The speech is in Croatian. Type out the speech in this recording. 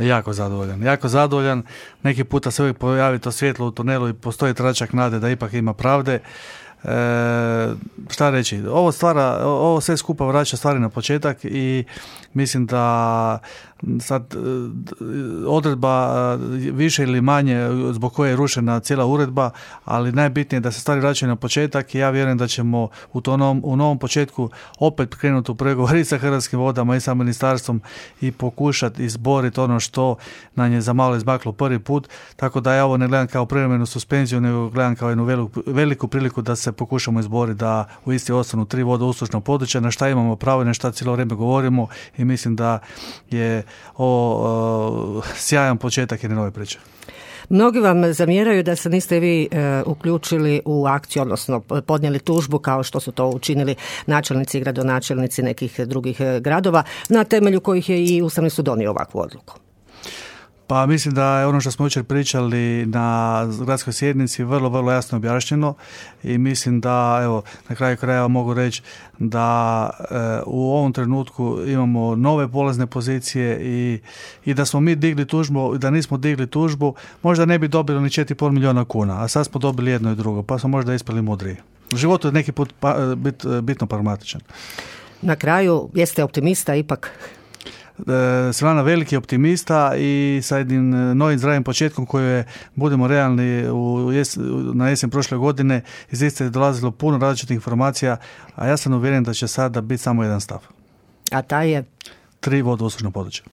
Jako zadovoljan. Neki puta se uvijek pojavi to svjetlo u tunelu i postoji tračak nade da ipak ima pravde. Šta reći, ovo sve skupa vraća stvari na početak i mislim da sad odredba više ili manje zbog koje je rušena cijela uredba, ali najbitnije je da se stvari vraćaju na početak i ja vjerujem da ćemo u novom početku opet krenuti u pregovori sa Hrvatskim vodama i sa ministarstvom i pokušati izboriti ono što nam je za malo izmaklo prvi put, tako da ja ovo ne gledam kao privremenu suspenziju, nego gledam kao jednu veliku priliku da se pokušamo izboriti da u isti ostanu 3 vodouslužna područja, na šta imamo pravo i na šta cijelo vrijeme govorimo i mislim da je ovo sjajan početak jedne nove priče. Mnogi vam zamjeraju da se niste vi uključili u akciju, odnosno podnijeli tužbu kao što su to učinili načelnici i gradonačelnici nekih drugih gradova, na temelju kojih je i Ustavni sud donio ovakvu odluku. Pa mislim da je ono što smo jučer pričali na gradskoj sjednici vrlo, vrlo jasno objašnjeno i mislim da, evo, na kraju krajeva mogu reći da u ovom trenutku imamo nove polazne pozicije i da smo mi digli tužbu, da nismo digli tužbu, možda ne bi dobili ni 4,5 milijuna kuna, a sad smo dobili jedno i drugo, pa smo možda ispali mudriji. U životu je neki put bitno pragmatičan. Na kraju, jeste optimista ipak? Silvana veliki optimista i sa jednim novim zdravim početkom koji je, budemo realni, na jesen prošle godine iz iste je dolazilo puno različitih informacija, a ja sam uvjeren da će sada biti samo jedan stav. A taj je? 3 vodouslužna područja.